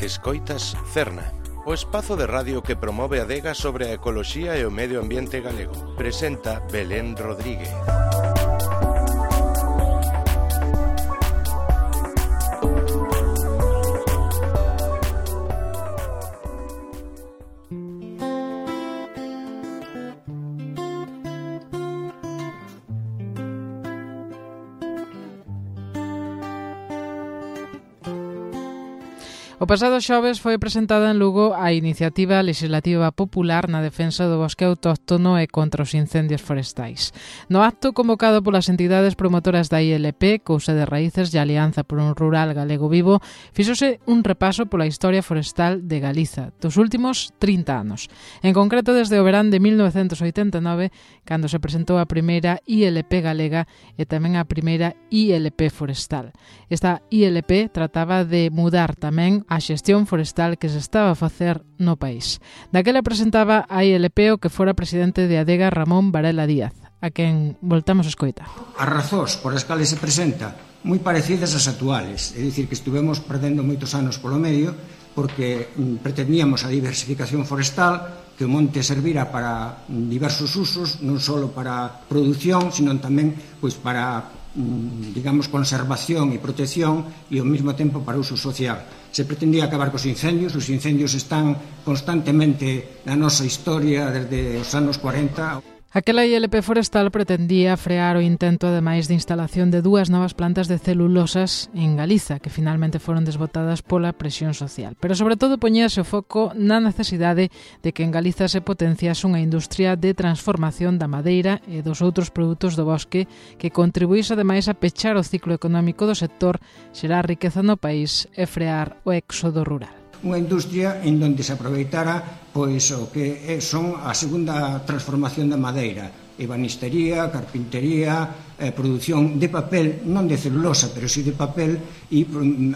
Escoitas Cerna, o espazo de radio que promove a adega sobre a ecoloxía e o medio ambiente galego. Presenta Belén Rodríguez. O pasado xoves foi presentada en Lugo a iniciativa legislativa popular na defensa do bosque autóctono e contra os incendios forestais. No acto convocado polas entidades promotoras da ILP, Cousa de Raíces e Alianza por un Rural Galego Vivo, fíxose un repaso pola historia forestal de Galiza dos últimos 30 anos. En concreto, desde o verán de 1989, cando se presentou a primeira ILP galega e tamén a primeira ILP forestal. Esta ILP trataba de mudar tamén a xestión forestal que se estaba a facer no país. Daquela presentaba a ILP o que fora presidente de Adega, Ramón Varela Díaz, a quen voltamos a escoitar. As razóns por as cales se presenta moi parecidas ás actuales, é dicir, que estuvemos perdendo moitos anos polo medio porque pretendíamos a diversificación forestal, que o monte servira para diversos usos, non só para produción, sino tamén para digamos, conservación e protección e ao mesmo tempo para uso social. Se pretendía acabar cos incendios, os incendios están constantemente na nosa historia desde os anos 40. Aquela ILP forestal pretendía frear o intento, ademais de instalación de 2 novas plantas de celulosas en Galiza, que finalmente foron desbotadas pola presión social. Pero, sobre todo, poñíase o foco na necesidade de que en Galiza se potenciase unha industria de transformación da madeira e dos outros produtos do bosque que contribuíse, ademais, a pechar o ciclo económico do sector, xerar riqueza no país e frear o éxodo rural. Unha industria en donde se aproveitara o que son a segunda transformación da madeira, ebanistería, carpintería, produción de papel, non de celulosa, pero sí de papel, e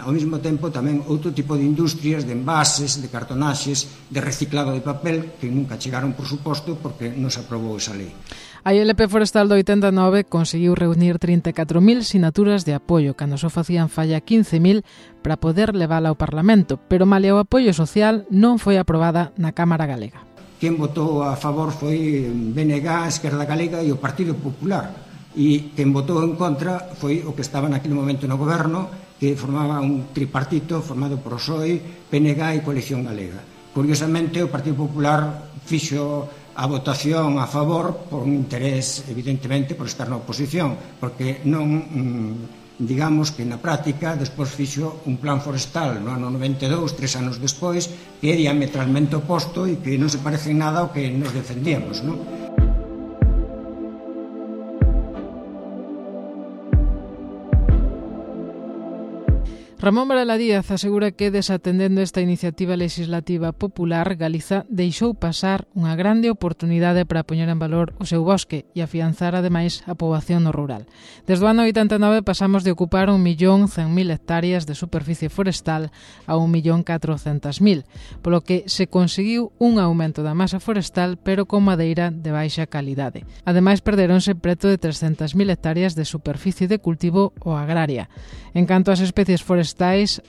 ao mesmo tempo tamén outro tipo de industrias, de envases, de cartonaxes, de reciclado de papel, que nunca chegaron, por suposto, porque non se aprobou esa lei. A ILP forestal do 89 conseguiu reunir 34.000 sinaturas de apoio, cando só facían falla 15.000 para poder levala ao Parlamento, pero malia o apoio social non foi aprobada na Cámara Galega. Quen votou a favor foi BNG, Esquerda Galega e o Partido Popular, e quen votou en contra foi o que estaba naquele momento no goberno, que formaba un tripartito formado por PSOE, PNG e Coalición Galega. Curiosamente, o Partido Popular fixo a votación a favor por un interés, evidentemente, por estar na oposición, porque non, digamos que na práctica despois fixo un plan forestal no ano 92, 3 anos despois, que é diametralmente oposto e que non se parece en nada ao que nos defendíamos, non? Ramón Varela Díaz asegura que, desatendendo esta iniciativa legislativa popular, Galiza deixou pasar unha grande oportunidade para poñer en valor o seu bosque e afianzar, ademais, a poboación no rural. Desde o ano 89 pasamos de ocupar 1.100.000 hectáreas de superficie forestal a 1.400.000, polo que se conseguiu un aumento da masa forestal, pero con madeira de baixa calidade. Ademais, perderonse preto de 300.000 hectáreas de superficie de cultivo ou agraria. En canto ás especies forestais,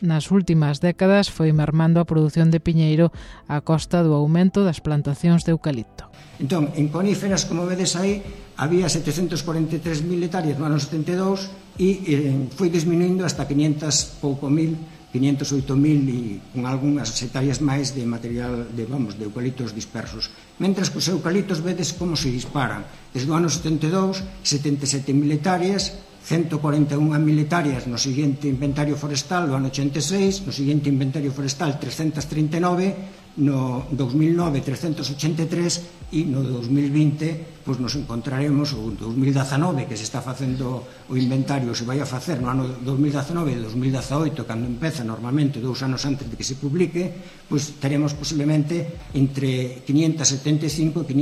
nas últimas décadas foi mermando a produción de piñeiro a costa do aumento das plantacións de eucalipto. Entón, en coníferas, como vedes aí, había 743.000 hectáreas no ano 72 e foi disminuindo hasta 508.000 e con algunhas hectáreas máis de material de eucaliptos dispersos. Mentres que os eucaliptos vedes como se disparan. Desde o ano 72, 77.000 hectáreas, 141.000 hectáreas no seguinte inventario forestal do ano 86, no seguinte inventario forestal 339, no 2009 383 e no 2020 nos encontraremos, o 2019 que se está facendo o inventario, se vai a facer no ano 2019 e 2018, cando empeza normalmente 2 anos antes de que se publique, teremos posiblemente entre 575 e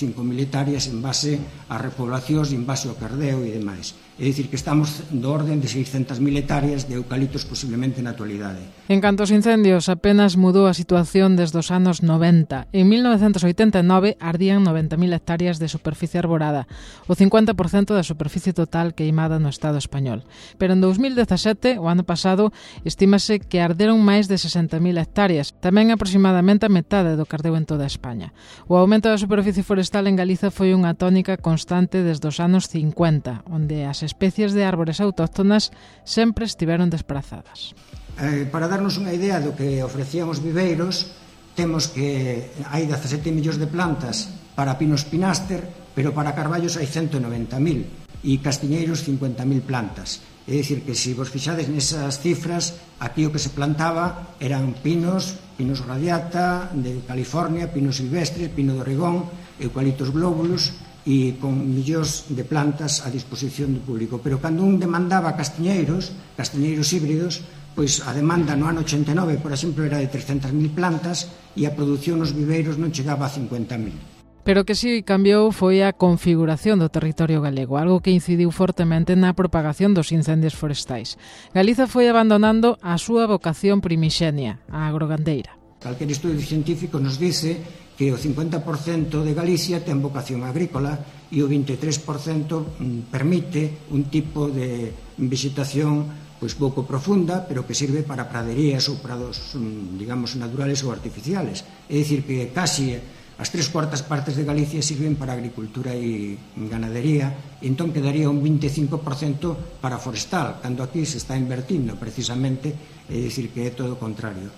585.000 hectáreas en base a repoblacións, en base ao cardeo e demais. É dicir, que estamos do orden de 600.000 hectáreas de eucaliptos posiblemente na actualidade. En canto aos incendios, apenas mudou a situación expansión desde os anos 90. En 1989 ardían 90.000 hectáreas de superficie arborada, o 50% da superficie total queimada no Estado español. Pero en 2017, o ano pasado, estímase que arderon máis de 60.000 hectáreas, tamén aproximadamente a metade do que ardeu en toda España. O aumento da superficie forestal en Galiza foi unha tónica constante desde os anos 50, onde as especies de árbores autóctonas sempre estiveron desprazadas. Para darnos unha idea do que ofrecían os viveiros, temos que hai 17 millóns de plantas para pinos pináster, pero para carballos hai 190.000 e castiñeiros 50.000 plantas. É dicir, que se vos fixades nesas cifras, aquí o que se plantaba eran pinos radiata de California, pinos silvestres, pino de Oregón, eucaliptos glóbulos, e con millóns de plantas a disposición do público. Pero cando un demandaba castiñeiros híbridos, pois a demanda no ano 89, por exemplo, era de 300.000 plantas e a produción nos viveiros non chegaba a 50.000. Pero o que si cambiou foi a configuración do territorio galego, algo que incidiu fortemente na propagación dos incendios forestais. Galiza foi abandonando a súa vocación primixenia, a agrogandeira. Calquer estudio científico nos dice que o 50% de Galicia ten vocación agrícola e o 23% permite un tipo de vegetación pois pouco profunda, pero que sirve para praderías ou prados, digamos, naturales ou artificiales. É dicir, que casi as 3/4 partes de Galicia sirven para agricultura e ganadería, e entón quedaría un 25% para forestal, cando aquí se está invertindo precisamente, é dicir, que é todo o contrario.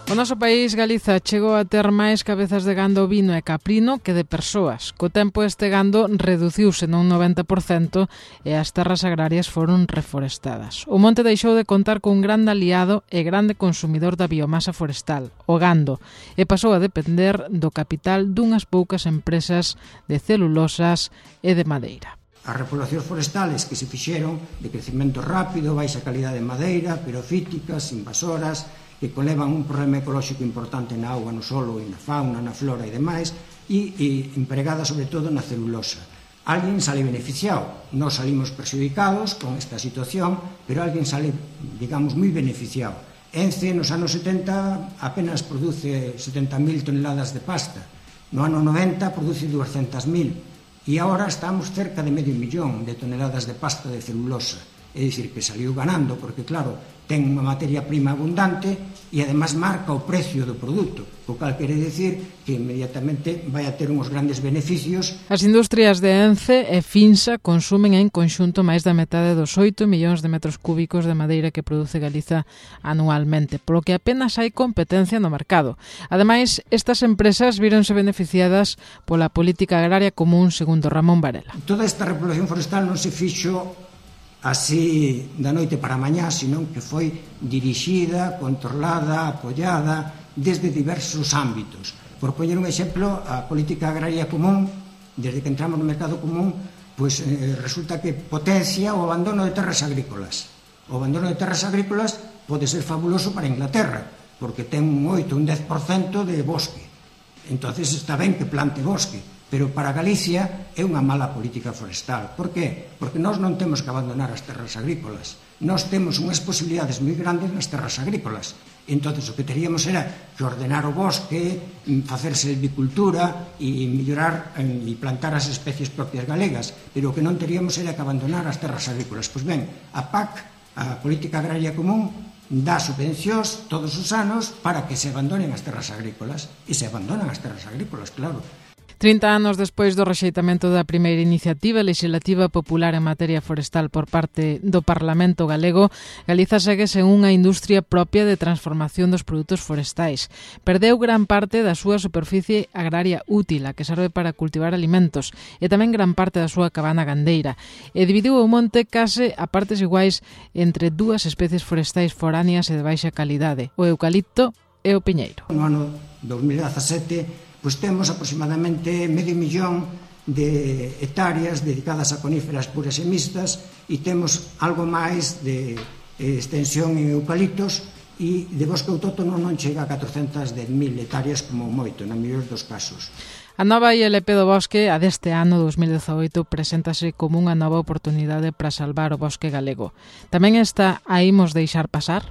O noso país, Galiza, chegou a ter máis cabezas de gando ovino e caprino que de persoas. Co tempo este gando reduciuse nun 90% e as terras agrarias foron reforestadas. O monte deixou de contar cun grande aliado e grande consumidor da biomasa forestal, o gando, e pasou a depender do capital dunhas poucas empresas de celulosas e de madeira. As repoblacións forestales que se fixeron de crecimento rápido, baixa calidade de madeira, pirofíticas, invasoras, que conlevan un problema ecolóxico importante na auga, no solo, e na fauna, na flora e demais, e empregada sobre todo na celulosa. Alguén sale beneficiado, nós salimos perxudicados con esta situación, pero alguén sale, digamos, moi beneficiado. Ence, nos anos 70, apenas produce 70.000 toneladas de pasta. No ano 90 produce 200.000. E agora estamos cerca de 500.000 de toneladas de pasta de celulosa. É dicir, que saliu ganando, porque, claro, ten unha materia prima abundante e, además, marca o precio do produto, o cal quere dicir que inmediatamente vai a ter uns grandes beneficios. As industrias de Ence e Finsa consumen en conxunto máis da metade dos 8 millóns de metros cúbicos de madeira que produce Galiza anualmente, polo que apenas hai competencia no mercado. Ademais, estas empresas víronse beneficiadas pola política agraria común, segundo Ramón Varela. Toda esta repoblación forestal non se fixo así da noite para mañá, senón que foi dirixida, controlada, apoiada desde diversos ámbitos. Por poñer un exemplo, a política agraria común, desde que entramos no mercado común, pois resulta que potencia o abandono de terras agrícolas. O abandono de terras agrícolas pode ser fabuloso para Inglaterra, porque ten un 8, un 10% de bosque. Entonces está ben que plante bosque, pero para Galicia é unha mala política forestal. Por qué? Porque nós non temos que abandonar as terras agrícolas. Nós temos unhas posibilidades moi grandes nas terras agrícolas. Entón, o que teríamos era que ordenar o bosque, facer silvicultura e mellorar e plantar as especies propias galegas, pero o que non teríamos era que abandonar as terras agrícolas. Pois ben, a PAC, a Política Agraria Común, dá subvencións todos os anos para que se abandonen as terras agrícolas. E se abandonan as terras agrícolas, claro. 30 anos despois do rexeitamento da primeira iniciativa legislativa popular en materia forestal por parte do Parlamento galego, Galiza segue sen unha industria propia de transformación dos produtos forestais. Perdeu gran parte da súa superficie agraria útil, a que serve para cultivar alimentos, e tamén gran parte da súa cabana gandeira, e dividiu o monte case a partes iguais entre dúas especies forestais foráneas e de baixa calidade, o eucalipto e o piñeiro. No ano 2017, pois temos aproximadamente 500.000 de hectáreas dedicadas a coníferas puras e mixtas e temos algo máis de extensión en eucaliptos e de bosque autóctono non chega a 410.000 hectáreas como moito, na mellor dos casos. A nova ILP do bosque, a deste ano 2018, preséntase como unha nova oportunidade para salvar o bosque galego. Tamén esta a imos deixar pasar?